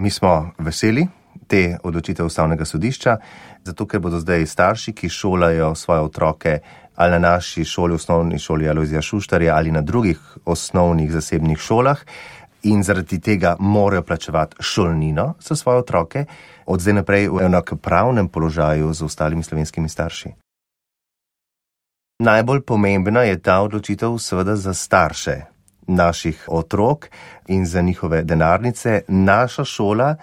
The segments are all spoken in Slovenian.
Mi smo veseli te odločitve Ustavnega sodišča, zato ker bodo zdaj starši, ki šolajo svoje otroke ali na naši šoli, osnovni šoli Alojzija Šuštarja ali na drugih osnovnih zasebnih šolah in zaradi tega morajo plačevati šolnino za svoje otroke, od zdaj naprej v enakopravnem položaju z ostalimi slovenskimi starši. Najbolj pomembna je ta odločitev seveda za starše naših otrok in za njihove denarnice. Naša šola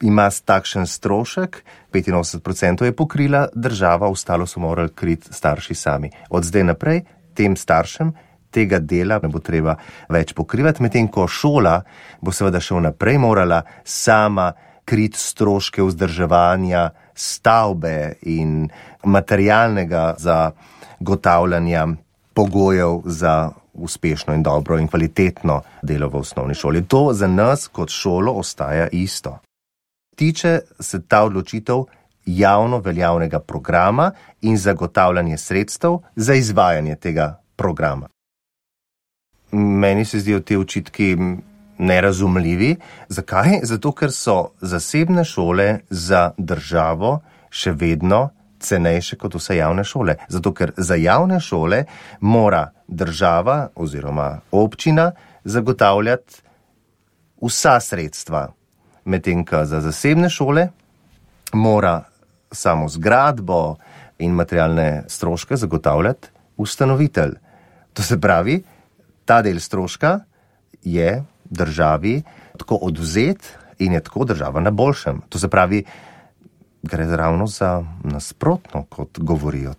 ima takšen strošek, 85% je pokrila država, ostalo so morali kriti starši sami. Od zdaj naprej tem staršem tega dela ne bo treba več pokrivati, medtem ko šola bo seveda še vnaprej morala sama kriti stroške vzdrževanja stavbe in materialnega zagotavljanja pogojev za uspešno in dobro in kvalitetno delo v osnovni šoli. To za nas kot šolo ostaja isto. Tiče se ta odločitev javno veljavnega programa in zagotavljanje sredstev za izvajanje tega programa. Meni se zdijo te očitki nerazumljivi. Zakaj? Zato, ker so zasebne šole za državo še vedno cenejše kot vse javne šole. Zato, ker za javne šole mora država oziroma občina zagotavljati vsa sredstva, medtem ko za zasebne šole mora samo zgradbo in materialne stroške zagotavljati ustanovitelj. To se pravi, ta del stroška je državi tako odvzet in je tako država na boljšem. To se pravi, gre ravno za nasprotno, kot govorijo